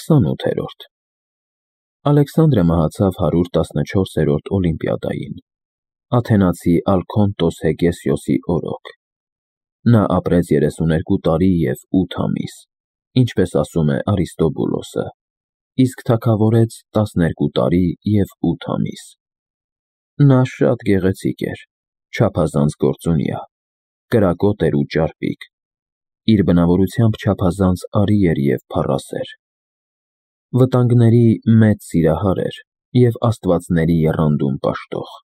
28-րդ Ալեքսանդրը մահացավ 114-րդ օլիմպիադային, աթենացի Ալքոնտոս Հեգեսիոսի օրոք։ Նա ապրեց 32 տարի և 8 ամիս, ինչպես ասում է Արիստոբուլոսը, իսկ թագավորեց 12 տարի և 8 ամիս։ Նա շատ գեղեցիկ էր, չափազանց գործունյա, կրակոտ էր ու ճարպիկ, իր բնավորությամբ չափազանց արի էր և փառասեր։ Վտանգների մեծ սիրահար էր և աստվածների եռանդուն պաշտող։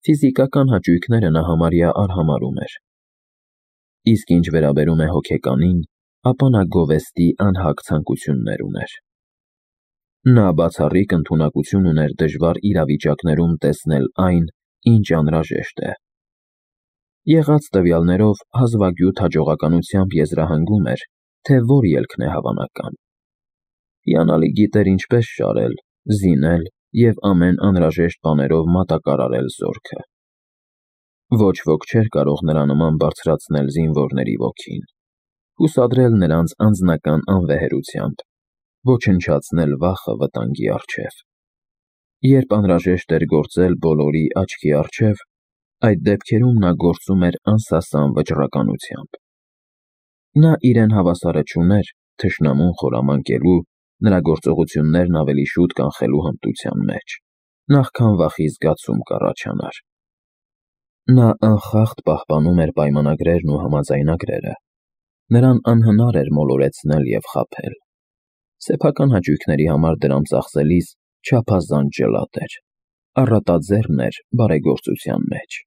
Ֆիզիկական հաճույքները նա համարյա արհամարհում էր։ Իսկ ինչ վերաբերում է հոգեկանին, ապա նա գովեստի անհագ ցանկություններ ուներ։ Նա բացառիկ ընդունակություն ուներ դժվար իրավիճակներում տեսնել այն, ինչ անհրաժեշտ է։ Եղած տվյալներով հազվագյուտ հաջողականությամբ եզրահանգում էր, թե որ ելքն է հավանական։ Հիանալի գիտեր ինչպես շարել, զինել և ամեն անհրաժեշտ բաներով մատակարարել զորքը։ Ոչ ոք չէր կարող նրա նման բարձրացնել զինվորների ոգին, հուսադրել նրանց անձնական անվեհերությամբ, ոչնչացնել վախը վտանգի առջև։ Երբ անհրաժեշտ էր գործել բոլորի աչքի առջև, այդ դեպքերում նա գործում էր անսասան վճռականությամբ։ Նա իրեն հավասարը չուներ թշնամուն խորամանկելու, նրա գործողություններն ավելի շուտ կանխելու հմտության մեջ, նախքան վախի զգացում կառաջանար։ Նա անխախտ պահպանում էր պայմանագրերն ու համաձայնագրերը։ Նրան անհնար էր մոլորեցնել և խաբել։ Սեփական հաճույքների համար դրամ ծախսելիս չափազանց ջլատ էր, առատաձեռն էր բարեգործության մեջ։